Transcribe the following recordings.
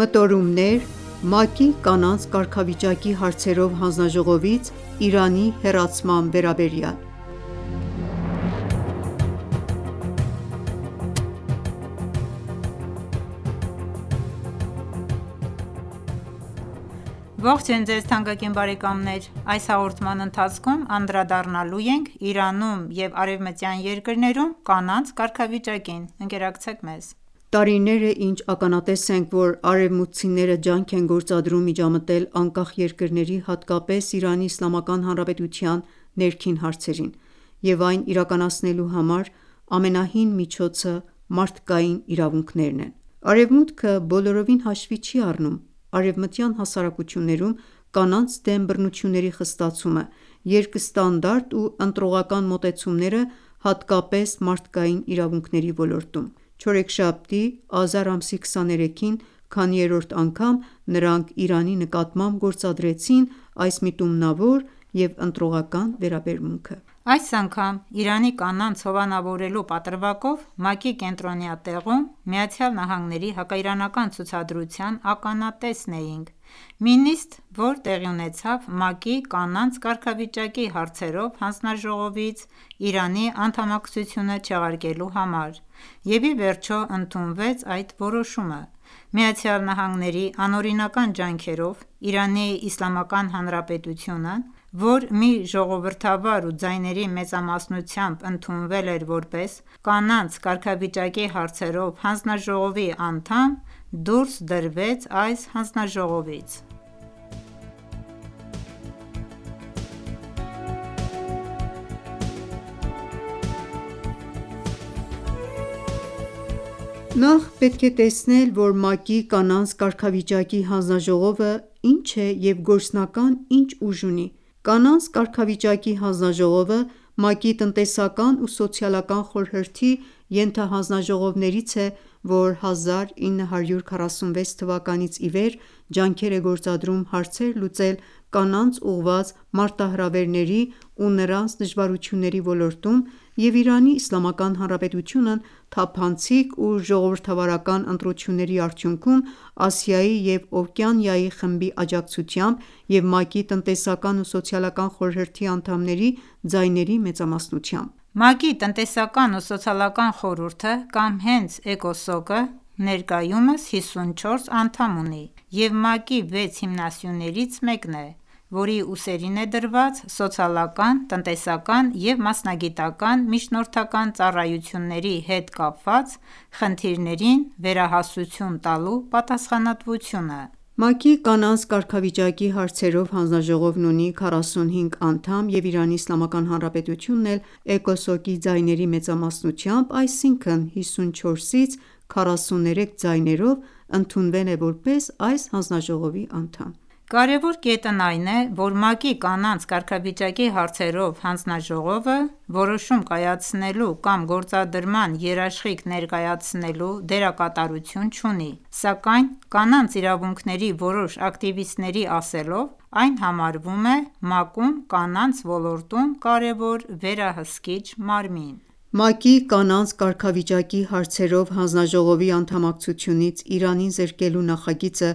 Մտորումներ ՄԱԿ-ի կանանց կարգավիճակի հարցերով հանձնաժողովից Իրանի հեռացման վերաբերյալ: Ողջույն ձեզ թանկագին բարեկամներ: Այս հաղորդման ընթացքում անդրադառնալու ենք Իրանում և արևմտյան երկրներում կանանց կարգավիճակին: Ընկերակցեք մեզ: Տարիներ է ինչ ականատես ենք, որ արևմուտքցիները ջանք են գործադրում միջամտել անկախ երկրների, հատկապես Իրանի Իսլամական Հանրապետության ներքին հարցերին և այն իրականացնելու համար ամենահին միջոցը մարդկային իրավունքներն են: Արևմուտքը բոլորովին հաշվի չի առնում արևմտյան հասարակություններում կանանց դեմ բռնությունների խստացումը, երկստանդարտ ու ընտրողական մոտեցումները, հատկապես մարդկային իրավունքների ոլորտում: Չորեքշաբթի, ազար ամսի 23-ին քանիերորդ անգամ նրանք Իրանի նկատմամբ գործադրեցին այս միտումնավոր և ընտրողական վերաբերմունքը: Այս անգամ Իրանի կանանց հովանավորելու պատրվակով ՄԱԿ-ի կենտրոնյա տեղում ԱՄՆ-ի հակաիրանական ցուցադրության ականատեսն էինք: Մի նիստ, որ տեղի ունեցավ ՄԱԿ-ի կանանց կարգավիճակի հարցերով հանձնաժողովից Իրանի անդամակցությունը չեղարկելու համար և ի վերջո ընդունվեց այդ որոշումը: ԱՄՆ-ի անօրինական ջանքերով Իրանի Իսլամական Հանրապետությունն, որ մի ժողովրդավար ու ձայների մեծամասնությամբ ընդունվել էր որպես կանանց կարգավիճակի հարցերով հանձնաժողովի անդամ, դուրս դրվեց այս հանձնաժողովից: Նախ պետք է տեսնել, որ ՄԱԿ-ի կանանց կարգավիճակի հանձնաժողովը ինչ է և գործնական ինչ ուժ ունի: Կանանց կարգավիճակի հանձնաժողովը ՄԱԿ-ի տնտեսական ու սոցիալական խորհրդի ենթահանձնաժողովներից է, որ 1946 թվականից ի վեր ջանքեր է գործադրում հարցեր լուծել կանանց ուղղված մարտահրավերների ու նրանց դժվարությունների ոլորտում և Իրանի Իսլամական Հանրապետությունն թափանցիկ ու ժողովրդավարական ընտրությունների արդյունքում Ասիայի և Օվկիանիայի խմբի աջակցությամբ և ՄԱԿ-ի տնտեսական ու սոցիալական խորհրդի անդամների ձայների մեծամասնությամբ: ՄԱԿ-ի տնտեսական ու սոցիալական խորհուրդը կամ հենց ԷԿՕՍՈԿ-ը ներկայումս 54 անդամ ունի և ՄԱԿ-ի 6 հիմնասյուներից մեկն է, որի ուսերին է դրված սոցիալական, տնտեսական և մասնագիտական միջնորդական ծառայությունների հետ կապված խնդիրներին վերահասություն տալու պատասխանատվությունը: ՄԱԿ-ի կանանց կարգավիճակի հարցերով հանձնաժողովն ունի 45 անդամ և Իրանի Իսլամական Հանրապետությունն էլ ԷԿՕՍՈԿ-ի ձայների մեծամասնությամբ, այսինքն 54-ից 43 ձայներով ընդունվել է որպես այս հանձնաժողովի անդամ: Կարևոր կետն այն է, որ ՄԱԿ-ի կանանց կարգավիճակի հարցերով հանձնաժողովը որոշում կայացնելու կամ գործադրման երաշխիք ներկայացնելու դերակատարություն չունի, սակայն կանանց իրավունքների որոշ ակտիվիստների ասելով, այն համարվում է ՄԱԿ-ում կանանց ոլորտում կարևոր վերահսկիչ մարմին: ՄԱԿ-ի կանանց կարգավիճակի հարցերով հանձնաժողովի անդամակցությունից Իրանին զրկելու նախագիծը,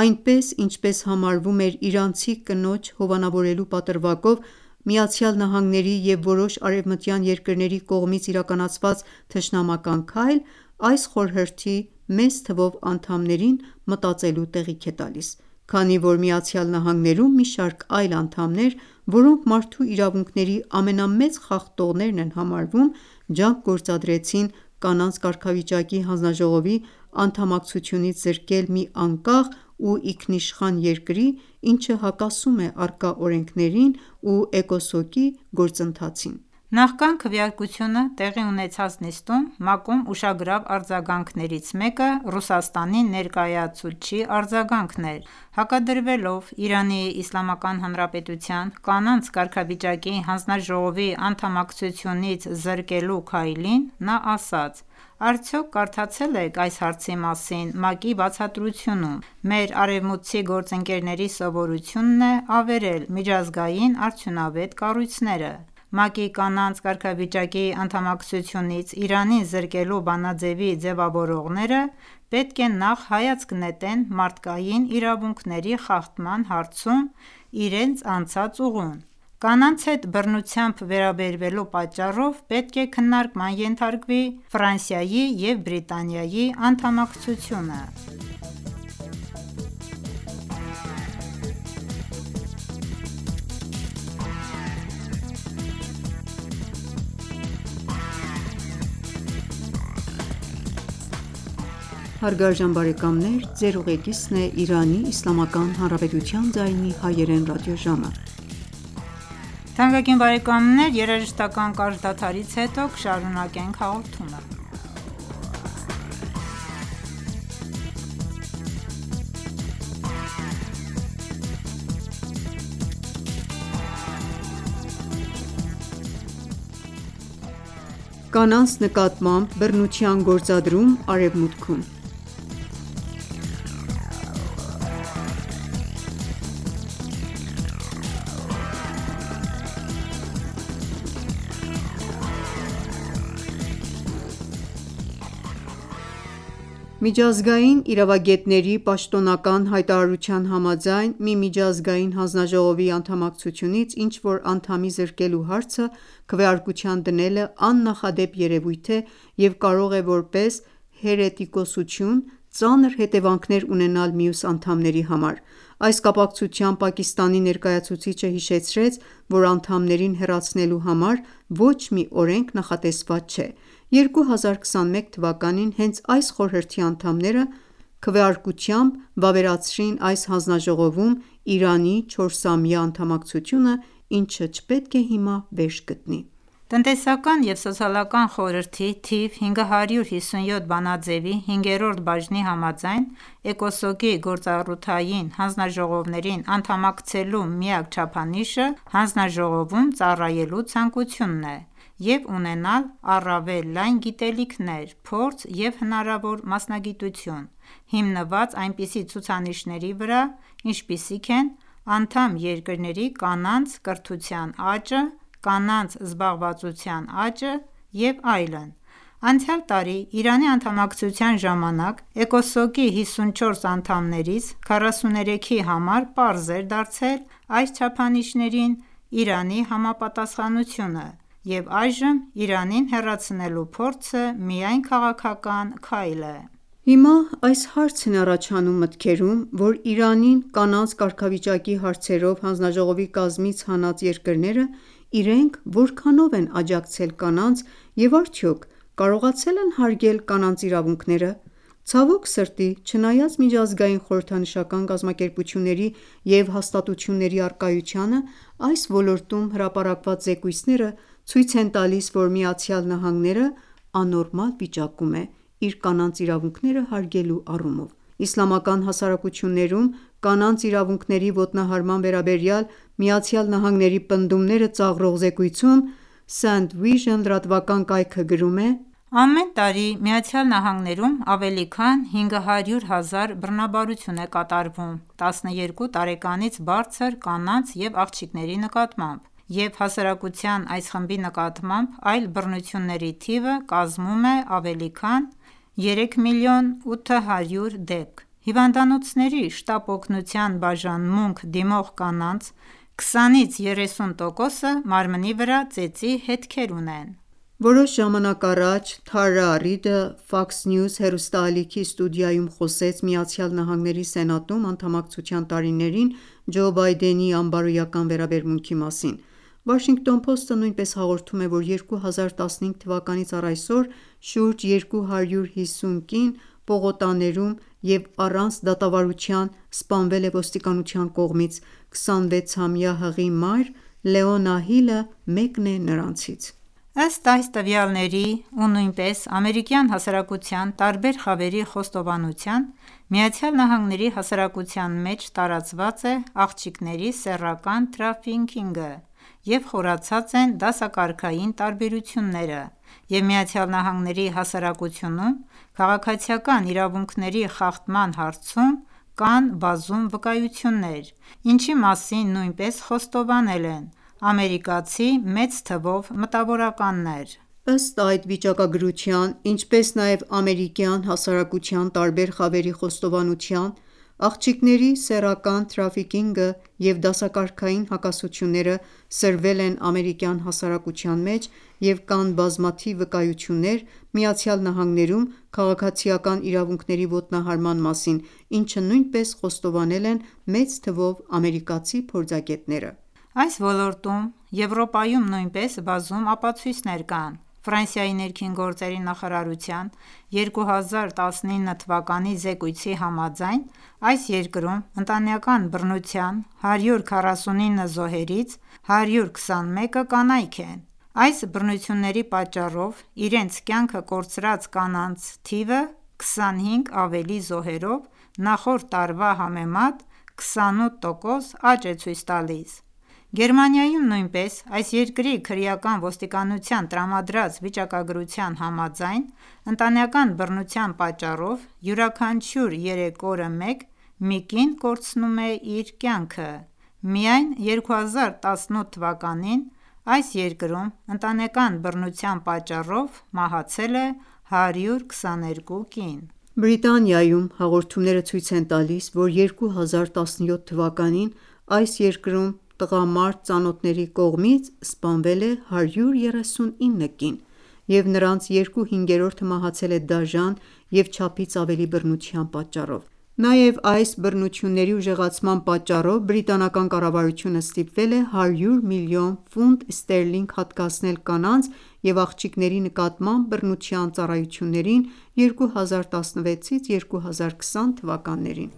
այնպես ինչպես համարվում էր իրանցի կնոջ հովանավորելու պատրվակով ԱՄՆ-ի և որոշ արևմտյան երկրների կողմից իրականացված թշնամական քայլ, այս խորհրդի մեծ թվով անդամներին մտածելու տեղիք է տալիս, քանի որ ԱՄՆ-ում մի շարք այլ անդամներ, որոնք մարդու իրավունքների ամենամեծ խախտողներն են համարվում, ջանք գործադրեցին կանանց կարգավիճակի հանձնաժողովի անդամակցությունից զրկել մի անկախ ու ինքնիշխան երկրի, ինչը հակասում է առկա օրենքներին ու ԷԿՕՍՈԿ-ի գործընթացին: Նախքան քվեարկությունը տեղի ունեցած նիստում ՄԱԿ-ում ուշագրավ արձագանքներից մեկը Ռուսաստանի ներկայացուցչի արձագանքն էր: Հակադրվելով Իրանի Իսլամական Հանրապետության կանանց կարգավիճակի հանձնաժողովի անդամակցությունից զրկելու քայլին, նա ասաց. «Արդյոք կարդացել եք այս հարցի մասին ՄԱԿ-ի բացատրությունում: Մեր արևմուտքցի գործընկերների սովորությունն է ավերել միջազգային արդյունավետ կառույցները: ՄԱԿ-ի կանանց կարգավիճակի անդամակցությունից Իրանին զրկելու բանաձեւի ձևավորողները պետք է նախ հայացք նետեն մարդկային իրավունքների խախտման հարցում իրենց անցած ուղուն: Կանանց հետ բռնությամբ վերաբերվելու պատճառով պետք է քննարկման ենթարկվի Ֆրանսիայի և Բրիտանիայի անդամակցությունը: Կանանց նկատմամբ բռնության գործադրում Արևմուտքում Միջազգային իրավագետների պաշտոնական հայտարարության համաձայն, մի միջազգային հանձնաժողովի անդամակցությունից ինչ-որ անդամի զրկելու հարցը քվեարկության դնելը աննախադեպ երևույթ է և կարող է որպես հերետիկոսություն ծանր հետևանքներ ունենալ մյուս անդամների համար: Այս կապակցությամբ Պակիստանի ներկայացուցիչը հիշեցրեց, որ անդամներին հեռացնելու համար ոչ մի օրենք նախատեսված չէ: 2021 թվականին հենց այս խորհրդի անդամները քվեարկությամբ վավերացրին այս հանձնաժողովում Իրանի 4-ամյա անդամակցությունը, ինչը չպետք է հիմա վերջ գտնի: Տնտեսական և սոցիալական խորհրդի թիվ 557 բանաձեւի 5-րդ բաժնի համաձայն, ԷԿՕՍՈԿ-ի գործառութային հանձնաժողովներին անդամակցելու միակ չափանիշը հանձնաժողովում ծառայելու ցանկությունն է և ունենալ առավել լայն գիտելիքներ, փորձ և հնարավոր մասնագիտություն, հիմնված այնպիսի ցուցանիշների վրա, ինչպիսիք են անդամ երկրների կանանց կրթության աճը, կանանց զբաղվածության աճը և այլն: Անցյալ տարի Իրանի անդամակցության ժամանակ ԷԿՕՍՈԿ-ի 54 անդամներից 43-ի համար պարզ էր դարձել այս չափանիշներին Իրանի համապատասխանությունը և այժմ Իրանին հեռացնելու փորձը միայն քաղաքական քայլ է: Հիմա այս հարցն է առաջանում մտքերում, որ Իրանին կանանց կարգավիճակի հարցերով հանձնաժողովի կազմից հանած երկրները իրենք որքանո՞վ են աջակցել կանանց և արդյոք կարողացել են հարգել կանանց իրավունքները: Ցավոք սրտի, չնայած միջազգային խորհրդանշական կազմակերպությունների և հաստատությունների առկայությանը, այս ոլորտում հրապարակված զեկույցները ցույց են տալիս, որ ԱՄՆ-ն անորմալ վիճակում է իր կանանց իրավունքները հարգելու առումով: Իսլամական հասարակություններում կանանց իրավունքների ոտնահարման վերաբերյալ ԱՄՆ-ի պնդումները ծաղրող զեկույցում St. Vision լրատվական կայքը գրում է. Ամեն տարի ԱՄՆ-ում ավելի քան 500,000 բռնաբարություն է կատարվում 12 տարեկանից բարձր կանանց և աղջիկների նկատմամբ, և հասարակության այս խմբի նկատմամբ այլ բռնությունների թիվը կազմում է ավելի քան 3,8 միլիոն դեպք: Հիվանդանոցների շտապ օգնության բաժանմունք դիմող կանանց 20-30%-ը մարմնի վրա ծեծի հետքեր ունեն: Որոշ ժամանակ առաջ Թարա Ռիդը Fox News հեռուստաալիքի ստուդիայում խոսեց ԱՄՆ Սենատում անդամակցության տարիներին Ջո Բայդենի անբարոյական վերաբերմունքի մասին: Washington Post-ը նույնպես հաղորդում է, որ 2015 թվականից առ այսօր շուրջ 250 կին պողոտաներում և առանց դատավարության սպանվել է ոստիկանության կողմից: 26-ամյա հղի մայր Լեոնա Հիլը մեկն է նրանցից: Ըստ այս տվյալների ու նույնպես ամերիկյան հասարակության տարբեր խավերի խոստովանության, ԱՄՆ հասարակության մեջ տարածված է աղջիկների սեռական թրաֆիքինգը և խորացած են դասակարգային տարբերությունները, և ԱՄՆ հասարակությունում քաղաքացիական իրավունքների խախտման հարցում կան բազում վկայություններ, ինչի մասին նույնպես խոստովանել են ամերիկացի մեծ թվով մտավորականներ։ Ըստ այդ վիճակագրության, ինչպես նաև ամերիկյան հասարակության տարբեր խավերի խոստովանության, աղջիկների սեռական թրաֆիքինգը և դասակարգային հակասությունները սրվել են ամերիկյան հասարակության մեջ և կան բազմաթիվ վկայություններ ԱՄՆ-ում քաղաքացիական իրավունքների ոտնահարման մասին, ինչը նույնպես խոստովանել են մեծ թվով ամերիկացի փորձագետները։ Այս ոլորտում Եվրոպայում նույնպես բազում ապացույցներ կան։ Ֆրանսիայի ներքին գործերի նախարարության 2019 թվականի զեկույցի համաձայն, այս երկրում ընտանեկան բռնության 149 զոհերից 121-ը կանայք են։ Այս բռնությունների պատճառով իրենց կյանքը կորցրած կանանց թիվը 25 ավելի զոհերով նախորդ տարվա համեմատ 28% աճ է ցույց տալիս։ Գերմանիայում նույնպես այս երկրի քրեական ոստիկանության տրամադրած վիճակագրության համաձայն, ընտանեկան բռնության պատճառով յուրաքանչյուր 3 օրը մի կին կորցնում է իր կյանքը։ Միայն 2018 թվականին այս երկրում ընտանեկան բռնության պատճառով մահացել է 122 կին։ Բրիտանիայում հաղորդումները ցույց են տալիս, որ 2017 թվականին այս երկրում տղամարդ ծանոթների կողմից սպանվել է 139 կին, և նրանց 2/5-ը մահացել է դաժան և չափից ավելի բռնության պատճառով։ Նաև այս բռնությունների ուժեղացման պատճառով բրիտանական կառավարությունը ստիպվել է 100 միլիոն ֆունտ ստերլինգ հատկացնել կանանց և աղջիկների նկատմամբ բռնության ծառայություններին 2016-ից 2020 թվականներին։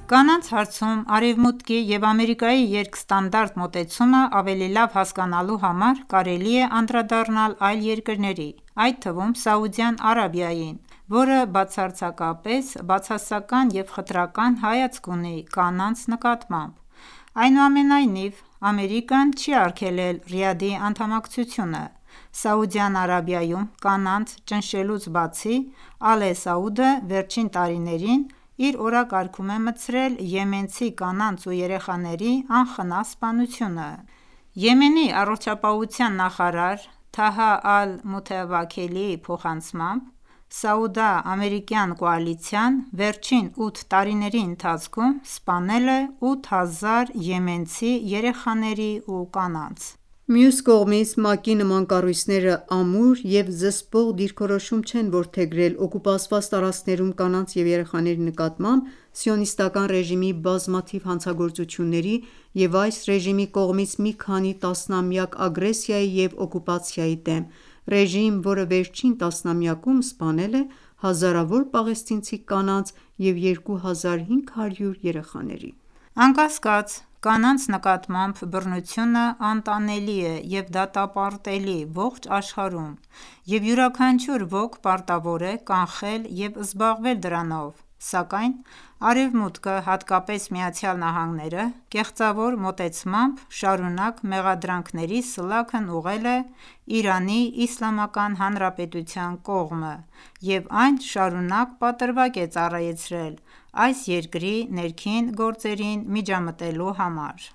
Կանանց հարցում Արևմուտքի և Ամերիկայի երկստանդարտ մոտեցումը ավելի լավ հասկանալու համար կարելի է անդրադառնալ այլ երկրների, այդ թվում Սաուդյան Արաբիային, որը բացարձակապես բացասական և խտրական հայացք ունի կանանց նկատմամբ։ Այնուամենայնիվ, Ամերիկան չի արգելել Ռիադի անդամակցությունը։ Սաուդյան Արաբիայում կանանց ճնշելուց բացի, Ալե Սաուդը վերջին տարիներին իր օրակարգում է մտցրել եմենցի կանանց ու երեխաների անխնա սպանությունը։ Եմենի առողջապահության նախարար Թահա Ալ-Մութավաքելիի փոխանցմամբ, սաուդա-ամերիկյան կոալիցիան վերջին 8 տարիների ընթացքում սպանել է 8000 եմենցի երեխաների ու կանանց։ Մյուս կողմից, ՄԱԿ-ի նման կառույցները ամուր և զսպող դիրքորոշում չեն որդեգրել օկուպացված տարածքներում կանանց և երեխաների նկատմամբ Սիոնիստական ռեժիմի բազմաթիվ հանցագործությունների և այս ռեժիմի կողմից մի քանի տասնամյակ ագրեսիայի և օկուպացիայի դեմ, ռեժիմ, որը վերջին տասնամյակում սպանել է հազարավոր պաղեստինցի կանանց և 2500 երեխաների։ Անկասկած, կանանց նկատմամբ բռնությունը անտանելի է և դատապարտելի ողջ աշխարհում, և յուրաքանչյուր ոք պարտավոր է կանխել և զբաղվել դրանով, սակայն Արևմուտքը, հատկապես ԱՄՆ-ը, կեղծավոր մոտեցմամբ շարունակ մեղադրանքների սլաքն ուղղել է Իրանի Իսլամական Հանրապետության կողմը և այն շարունակ պատրվակ է ծառայեցրել այս երկրի ներքին գործերին միջամտելու համար։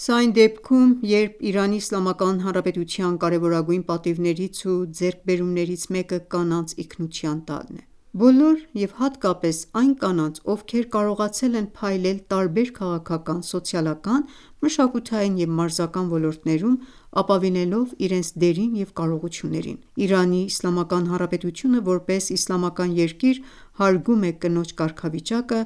Սա այն դեպքում, երբ Իրանի Իսլամական Հանրապետության կարևորագույն պատիվներից ու ձեռքբերումներից մեկը կանանց ինքնության տալն է։ Բոլոր և հատկապես այն կանանց, ովքեր կարողացել են փայլել տարբեր քաղաքական, սոցիալական, մշակութային և մարզական ոլորտներում, ապավինելով իրենց դերին և կարողություններին։ Իրանի Իսլամական Հանրապետությունը, որպես իսլամական երկիր, հարգում է կնոջ կարգավիճակը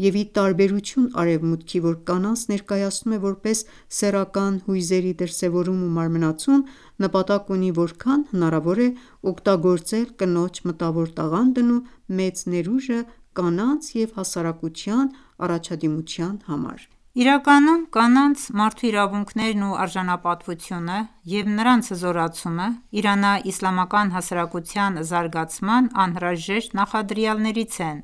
և, ի տարբերություն Արևմուտքի, որ կանանց ներկայացնում է որպես սեռական հույզերի դրսևորում ու մարմնացում, նպատակ ունի որքան հնարավոր է օգտագործել կնոջ մտավոր տաղանդն ու մեծ ներուժը կանանց և հասարակության առաջադիմության համար։ Իրականում կանանց մարդու իրավունքներն ու արժանապատվությունը և նրանց հզորացումը իրանա-իսլամական հասարակության զարգացման անհրաժեշտ նախադրյալներից են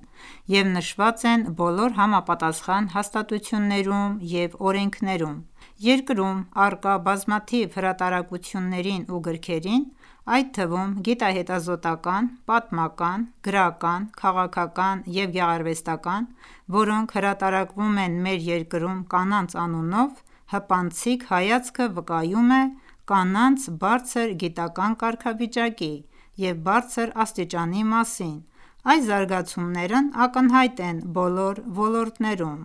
և նշված են բոլոր համապատասխան հաստատություններում և օրենքներում: Երկրում առկա բազմաթիվ հրատարակություններին ու գրքերին, այդ թվում գիտահետազոտական, պատմական, գրական, քաղաքական և գեղարվեստական, որոնք հրատարակվում են մեր երկրում կանանց անունով, հպանցիկ հայացքը վկայում է կանանց բարձր գիտական կարգավիճակի և բարձր աստիճանի մասին: Այս զարգացումներն ակնհայտ են բոլոր ոլորտներում: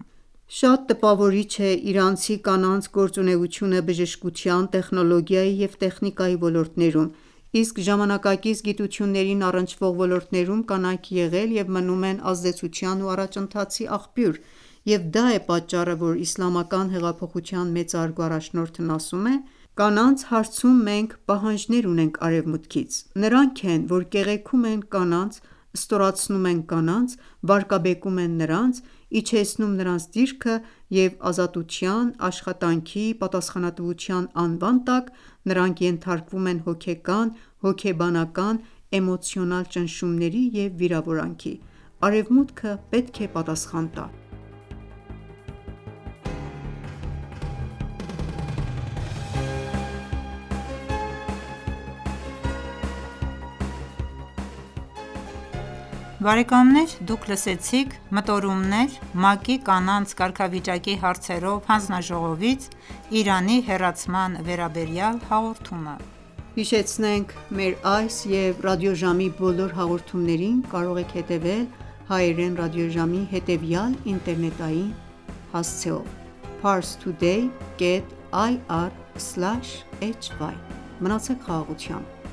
Շատ տպավորիչ է իրանցի կանանց գործունեությունը բժշկության, տեխնոլոգիայի և տեխնիկայի ոլորտներում, իսկ ժամանակակից գիտություններին առնչվող ոլորտներում կանայք եղել և մնում են ազդեցության ու առաջընթացի աղբյուր և դա է պատճառը, որ Իսլամական հեղափոխության մեծարգո առաջնորդն ասում է. «Կանանց հարցում մենք պահանջներ ունենք Արևմուտքից: Նրանք են, որ կեղեքում են կանանց, ստորացնում են կանանց, վարկաբեկում են նրանց, իջեցնում նրանց դիրքը և ազատության, աշխատանքի, պատասխանատվության անվան տակ նրանք ենթարկվում են հոգեկան, հոգեբանական, էմոցիոնալ ճնշումների և վիրավորանքի: Արևմուտքը պետք է պատասխան տա»: «Մտորումներ ՄԱԿ-ի կանանց կարգավիճակի հարցերով հանձնաժողովից Իրանի հեռացման վերաբերյալ» հաղորդումը, Մեր այս և ռադիոժամի բոլոր հաղորդումներին կարող եք հետևել հայերեն ռադիոժամի հետևյալ ինտերնետային հասցեով՝ parstoday.ir/hy: Մնացեք խաղաղությամբ: